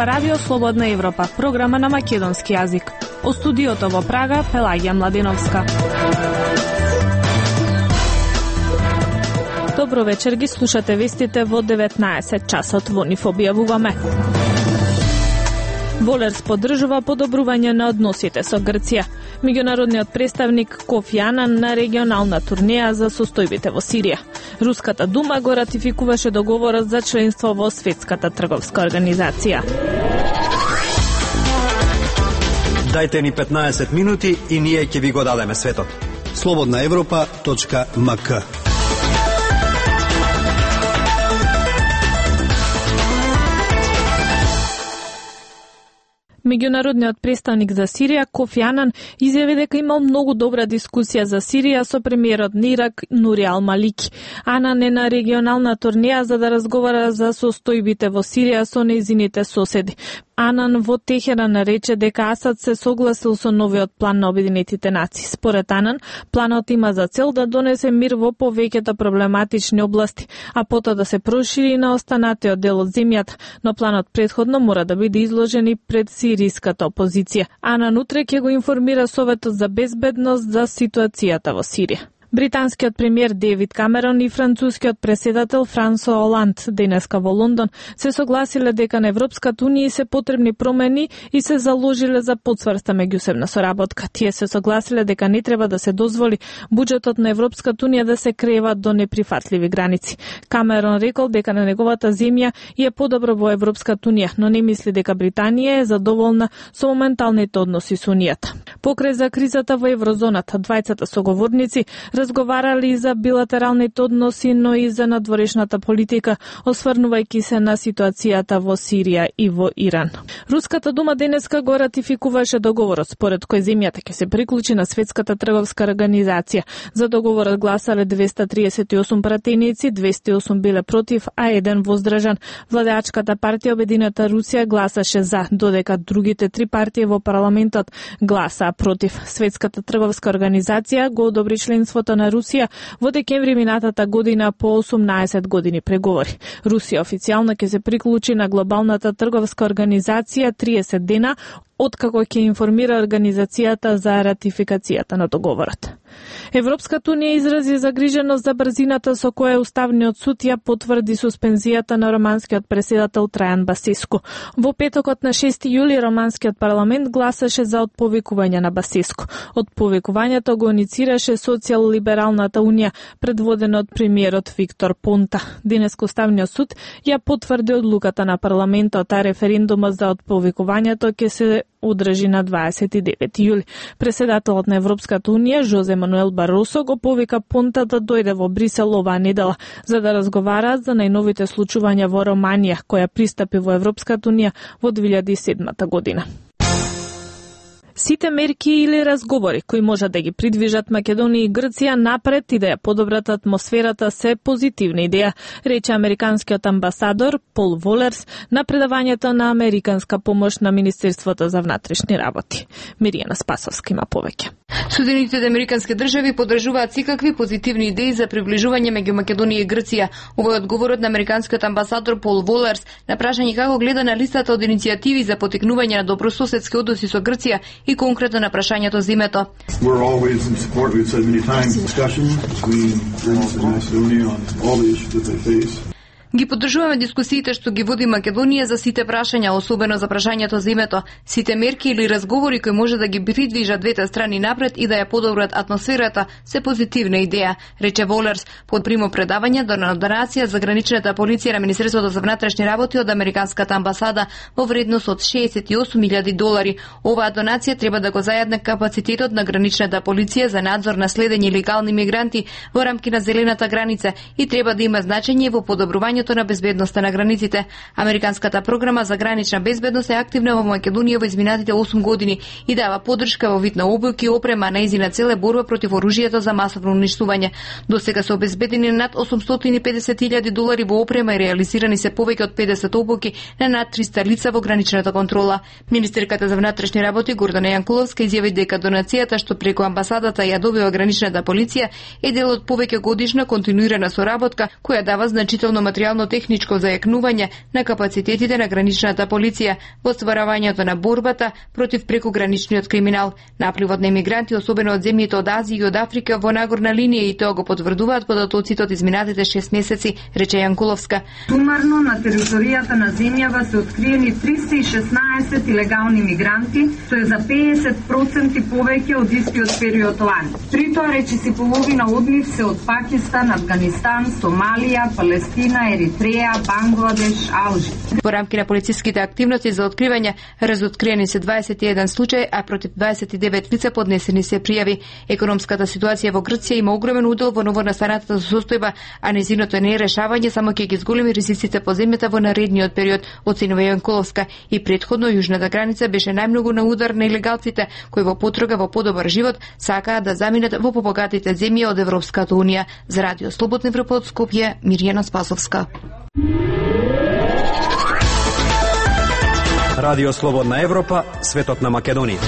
Ова радио Слободна Европа, програма на македонски јазик. О студиото во Прага, Пелагија Младеновска. Добро вечер, ги слушате вестите во 19 часот, во нив објавуваме. Волерс поддржува подобрување на односите со Грција. Меѓународниот представник Кофи Анан на регионална турнеја за состојбите во Сирија. Руската дума го ратификуваше договорот за членство во Светската трговска организација. Дајте ни 15 минути и ние ќе ви го дадеме светот. slobodnaevropa.mk. Меѓународниот представник за Сирија Кофи Анан изјави дека имал многу добра дискусија за Сирија со премиерот на Ирак Нури ал-Малики. Анан е на регионална турнеја за да разговара за состојбите во Сирија со нејзините соседи. Анан во Техеран рече дека Асад се согласил со новиот план на Обединетите нации. Според Анан, планот има за цел да донесе мир во повеќето проблематични области, а потоа да се прошири на останатиот дел од земјата, но планот претходно мора да биде изложен и пред сириската опозиција. Анан утре ќе го информира Советот за безбедност за ситуацијата во Сирија. Британскиот премиер Девид Камерон и францускиот преседател Франсо Оланд денеска во Лондон се согласиле дека на Европската унија се потребни промени и се заложиле за потврста меѓусебна соработка. Тие се согласиле дека не треба да се дозволи буџетот на Европската унија да се крева до неприфатливи граници. Камерон рекол дека на неговата земја е подобро во Европската унија, но не мисли дека Британија е задоволна со моменталните односи со унијата. Покрај за кризата во еврозоната, двајцата соговорници разговарали за билатералните односи, но и за надворешната политика, осврнувајќи се на ситуацијата во Сирија и во Иран. Руската дума денеска го ратификуваше договорот, според кој земјата ќе се приклучи на Светската трговска организација. За договорот гласале 238 пратеници, 208 биле против, а 1 воздржан. Владеачката партија Обединета Русија гласаше за, додека другите 3 партии во парламентот гласаа против. Светската трговска организација го одобри членството на Русија во декември минатата година по 18 години преговори. Русија официјално ќе се приклучи на глобалната трговска организација 30 дена откако ќе информира организацијата за ратификацијата на договорот. Европската унија изрази загриженост за брзината со која Уставниот суд ја потврди суспензијата на романскиот преседател Трајан Басеску. Во петокот на 6 јули романскиот парламент гласаше за отповикување на Басеску. Отповикувањето го иницираше Социјал-либералната унија, предводена од премиерот Виктор Понта. Денеска Уставниот суд ја потврди одлуката на парламентот, а референдумот за отповикувањето ќе се одржи на 29 јули. Преседателот на Европската унија Жозе Мануел Баросо го повика Понта да дојде во Брисел оваа недела за да разговараат за најновите случувања во Романија, која пристапи во Европската унија во 2007 година. Сите мерки или разговори кои можат да ги придвижат Македонија и Грција напред и да ја подобрат атмосферата се позитивна идеја, рече американскиот амбасадор Пол Волерс на предавањето на американска помош на Министерството за внатрешни работи. Миријана Спасовска има повеќе. Соединетите американски држави поддржуваат секакви позитивни идеи за приближување меѓу Македонија и Грција. Ова е одговорот на американскиот амбасадор Пол Волерс на прашање како гледа на листата од иницијативи за потикнување на добрососедски односи со Грција и конкретно на прашањето за името. Ги поддржуваме дискусиите што ги води Македонија за сите прашања, особено за прашањето за името, сите мерки или разговори кои може да ги придвижат двете страни напред и да ја подобрат атмосферата, се позитивна идеја, рече Волерс под примо предавање до донација за граничната полиција на Министерството за внатрешни работи од американската амбасада во вредност од $68,000. Оваа донација треба да го зајадне капацитетот на граничната полиција за надзор на следење илегални мигранти во рамки на зелената граница и треба да има значење во подобрувањето на безбедноста на границите. Американската програма за гранична безбедност е активна во Македонија во изминатите 8 години и дава поддршка во вид на обуки и опрема, нејзина цел е борба против оружјето за масовно уништување. Досега се обезбедени над $850,000 во опрема и реализирани се повеќе од 50 обуки на над 300 лица во граничната контрола. Министерката за внатрешни работи Гордана Јанкуловска изјави дека донацијата што преку амбасадата ја добива граничната полиција е дел од повеќе годишна континуирана соработка која дава значително материјално материјално-техничко зајакнување на капацитетите на граничната полиција во стварањето на борбата против прекограничниот криминал. Напливот на емигранти, особено од земјите од Азија и од Африка, во нагорна линија, и тоа го потврдуваат податоците од изминатите 6 месеци, рече Јанкуловска. Сумарно на територијата на земјава се откриени 316 илегални мигранти, што е за 50% повеќе од истиот период лани. При тоа речиси половина од нив се од Пакистан, Афганистан, Сомалија, Палестина, Еритреја, Бангладеш, Алжир. Во рамки на полициските активности за откривање, разоткриени се 21 случаи, а против 29 лица поднесени се пријави. Економската ситуација во Грција има огромен удел во новонастанатата состојба, а незиното нерешавање само ќе ги зголеми ризиците по земјата во наредниот период, оценува Јанкуловска. И претходно јужната граница беше најмногу на удар на илегалците, кои во потрага во подобар живот сакаат да заминат во побогатите земји од Европската унија. За Радио Слободна Европа од Скопје, Мирјана Спасовска. Радио Слободна Европа, светот на Македонија.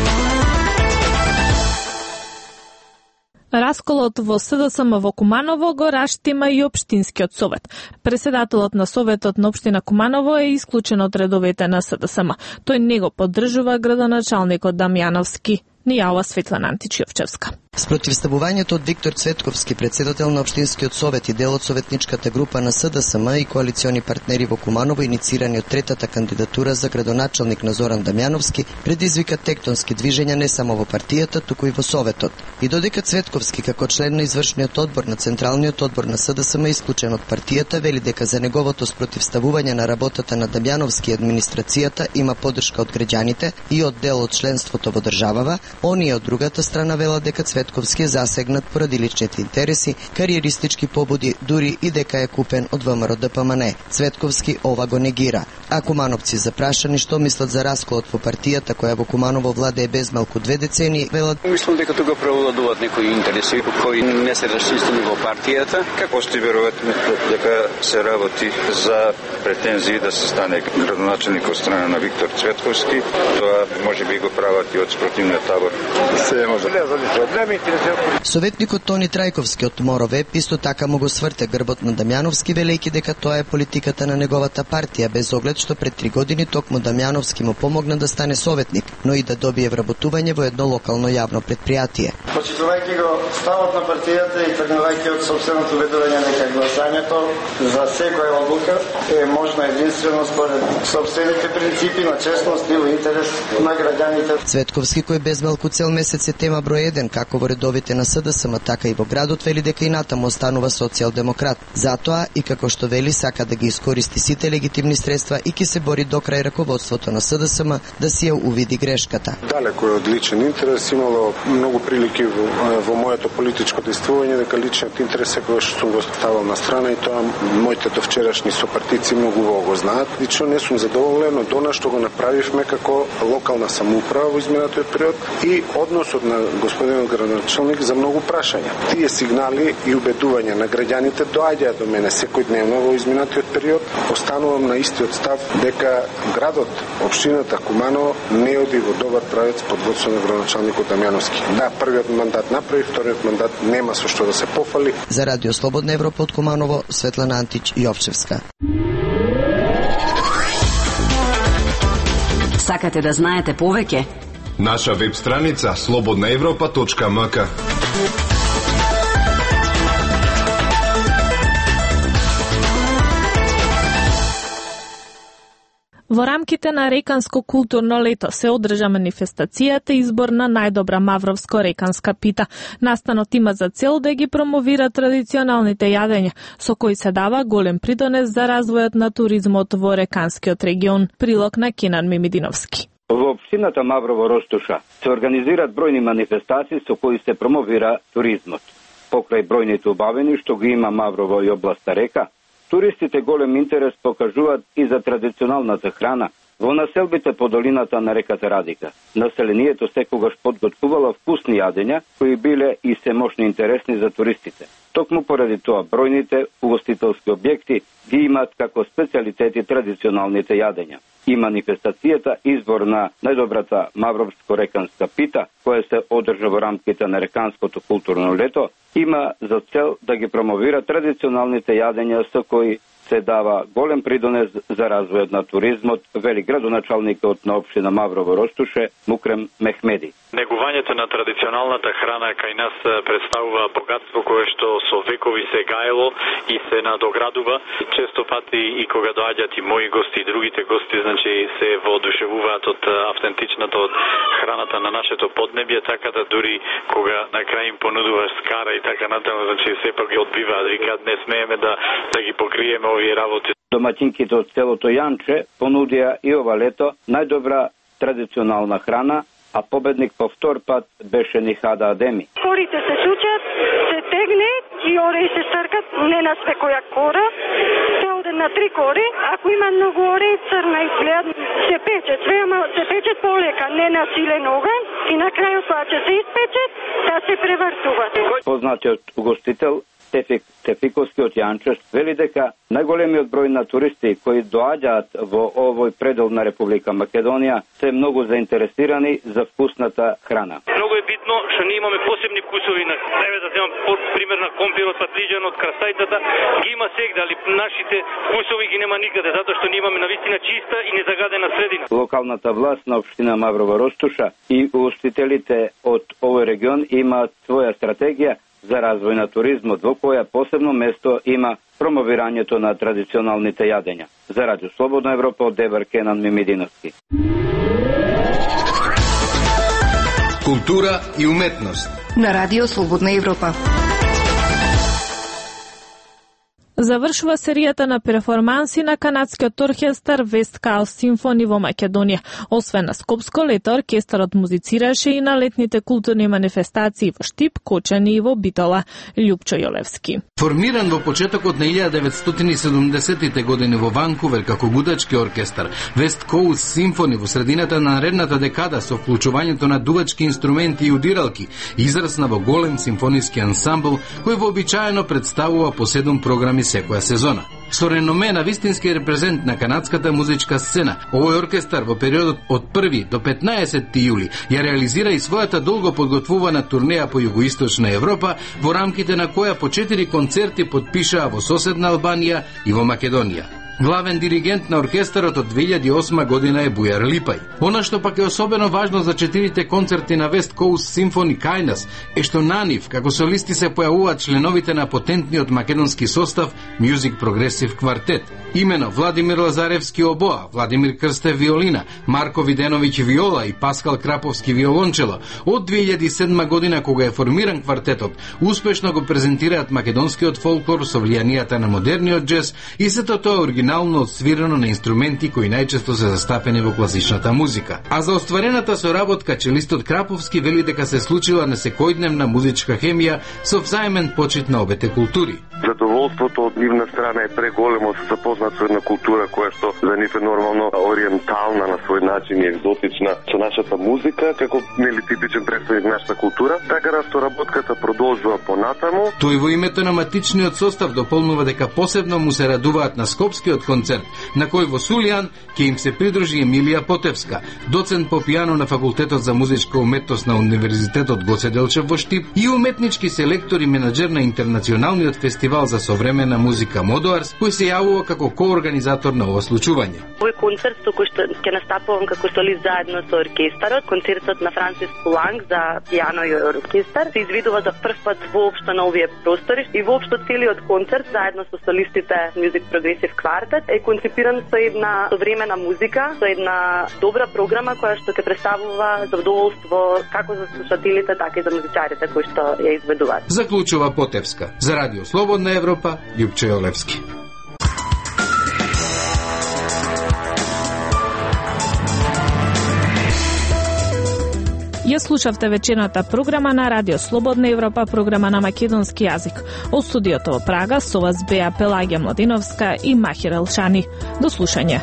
Расколот во СДСМ во Куманово го раштима и Општинскиот совет. Преседателот на Советот на Општина Куманово е исклучен од редовите на СДСМ. Тој не го поддржува градоначалникот Дамјановски. Ни јава Светлана Античиовчевска. Спротивставувањето од Виктор Цветковски, председател на Општинскиот совет и дел од советничката група на СДСМ и коалициони партнери во Куманово, иницирани од третата кандидатура за градоначалник на Зоран Дамјановски, предизвика тектонски движења не само во партијата, туку и во советот. И додека Цветковски како член на извршниот одбор на Централниот одбор на СДСМ исклучен од партијата, вели дека за неговото спротивставување на работата на Дамјановски и администрацијата има поддршка од граѓаните и од дел од членството во државава, оние од другата страна велат дека Цветковски е засегнат поради личните интереси, кариеристички побуди, дури и дека е купен од ВМРО ДПМН. Цветковски ова го негира. А кумановци запрашани што мислат за расколот во партијата која во Куманово владее без малку 2 децении, велат: Мислам дека тука превладуваат некои интереси кои не се расчистени во партијата. Како сте веројатно дека се работи за претензии да се стане градоначалник од страна на Виктор Цветковски, тоа можеби го прават и од спротивниот табор. Се може проблеми. Советникот Тони Трајковски од МОРОВЕП исто така му го сврте грбот на Дамјановски, велејќи дека тоа е политиката на неговата партија, без оглед што пред 3 години токму Дамјановски му помогна да стане советник, но и да добие вработување во едно локално јавно предпријатие. Почитувајќи го ставот на партијата и тргнувајќи од собственото ведување дека гласањето за секоја одлука е можно единствено според собствените принципи на честност и во интерес на граѓаните. Цветковски, кој без малку цел месец е тема број 1 како во редовите на СДСМ, така и во градот, вели дека и натаму останува социјалдемократ. Затоа и како што вели сака да ги искористи сите легитимни средства и ќе се бори до крај раководството на СДСМ да си ја увиди грешката. Далеко е од личен интерес, имало многу прилики во моето политичко действување дека личниот интерес секогаш сум го ставал на страна и тоа моите довчерашни сопартици многу го знаат. Лично не сум задоволен од она што го направивме како локална самоуправа во изминатиот период и односот на господинот градоначалник за многу прашања. Тие сигнали и убедувања на граѓаните доаѓаат до мене секојдневно во изминатиот период. Останувам на истиот став дека градот, општината Куманово не оди во добар правец под водство на градоначалникот Дамјановски. Да, првиот мандат направи, вториот мандат нема со што да се пофали. За Радио Слободна Европа од Куманово, Светлана Антич Јовчевска. Сакате да знаете повеќе? Наша веб страница slobodnaevropa.mk. Во рамките на Реканско културно лето се одржа манифестацијата избор на најдобра мавровско-реканска пита. Настанот има за цел да ги промовира традиционалните јадења, со кои се дава голем придонес за развојот на туризмот во реканскиот регион. Прилог на Кенан Мимидиновски. Во општината Маврово-Роштуша се организираат бројни манифестации со кои се промовира туризмот. Покрај бројните убавени што ги има Маврово и областа Река, туристите голем интерес покажуваат и за традиционалната храна во населбите по долината на реката Радика. Населението секогаш подготвувало вкусни јадења кои биле и се мощно интересни за туристите. Токму поради тоа бројните угостителски објекти ги имаат како специјалитети традиционалните јадења. И манифестацијата избор на најдобрата мавровско-реканска пита, која се одржа во рамките на Реканското културно лето, има за цел да ги промовира традиционалните јадења со кои се дава голем придонес за развојот на туризмот, вели градоначалникот на општина Маврово Ростуше Мукрем Мехмеди. Негувањето на традиционалната храна кај нас представува богатство кое што со векови се гаело и се надоградува. Често пати и кога доаѓаат и мои гости и другите гости, значи се воодушевуваат од автентичната од храната на нашето поднебје, така да дури кога на крај им понудуваш скара и така натаму, значи сепак ги одбиваат, викаат не смееме да ги покриеме овие работи. Домаќинките од селото Јанче понудија и ова лето најдобра традиционална храна, а победник по втор пат беше Нихада Адеми. Корите се сучат, се тегне и ореи се стркат, не на свекоја кора, се оде на 3 кори. Ако има многу ореи, црна изгледат, се печат, се печат полека, не на силен оган и на крајот кога ќе се испечат, да се превртуват. Познатиот угостител Тефик Тефиковски од Јанче вели дека најголемиот број на туристи кои доаѓаат во овој предел на Република Македонија се многу заинтересирани за вкусната храна. Многу е битно што ние имаме посебни вкусови на еве да земам пример на компирот, патлиџанот, красајтата, ги има сегде, али нашите вкусови ги нема никаде затоа што ние имаме навистина чиста и незагадена средина. Локалната власт на општина Маврова Ростуша и угостителите од овој регион имаат своја стратегија за развој на туризмот, во која посебно место има промовирањето на традиционалните јадења. За Радио Слободна Европа од Дебар Кенан Мимидиновски. Култура и уметност на Радио Слободна Европа. Завршува серијата на перформанси на канадскиот оркестар West Coast Symphony во Македонија. Освен на Скопско лето, оркестарот музицираше и на летните културни манифестации во Штип, Кочани и во Битола. Љупчо Јолевски. Формиран во почетокот на 1970-тите години во Ванкувер како гудачки оркестар, West Coast Symphony во средината на наредната декада со вклучувањето на дувачки инструменти и удиралки, израсна во голем симфониски ансамбл кој вообичаено представува по 7 програми секоја сезона. Со реноме на вистински репрезент на канадската музичка сцена, овој оркестар во периодот од 1 до 15 јули ја реализира и својата долго подготвувана турнеја по југоисточна Европа, во рамките на која по 4 концерти потпишаа во соседна Албанија и во Македонија. Главен диригент на оркестарот од 2008 година е Бујар Липај. Она што пак е особено важно за 4 концерти на West Coast Symphony кај нас е што на нив како солисти се појавуваат членовите на потентниот македонски состав Music Progressive Quartet. Имено Владимир Лазаревски обоа, Владимир Крстев виолина, Марко Виденовиќ виола и Паскал Краповски виолончело. Од 2007 година кога е формиран квартетот, успешно го презентираат македонскиот фолклор со влијанијата на модерниот џез и сето тоа оригинално отсвирено на инструменти кои најчесто се застапени во класичната музика. А за остварената соработка челистот Краповски вели дека се случила несекојдневна музичка хемија со взаемен почит на обете култури. Задоволството од нивна страна е преголемо да се запознат со една култура која што за нив е нормално ориентална на свој начин и екзотична со нашата музика, како нели типичен представник на нашата култура, така да соработката продолжува понатаму. Тој во името на матичниот состав дополнува дека посебно му се радуваат на скопскиот концерт, на кој во Сулијан ќе им се придружи Емилија Потевска, доцент по пијано на Факултетот за музичка уметност на Универзитетот Гоце Делчев во Штип и уметнички селектор и менаџер на интернационалниот фестивал за современа музика Модоарс, кој се јавува како коорганизатор на ова случување. Овој концерт со кој што ќе настапувам како солист заедно со оркестарот, концертот на Франсис Пуланг за пијано и оркестар, се извидува за прв пат воопшто на овие простори и воопшто целиот концерт заедно со солистите Music Progressive Quartet е концепиран со една современа музика, со една добра програма која што ќе представува задоволство како за слушателите, така и за музичарите кои што ја изведуваат. Заклучува Потевска. За Радио Слободна Европа, Љупчо Јолевски. Ја слушавте вечерната програма на Радио Слободна Европа, програма на македонски јазик. Од студиото во Прага со вас беа Пелагија Младиновска и Махир Елшани. До слушање.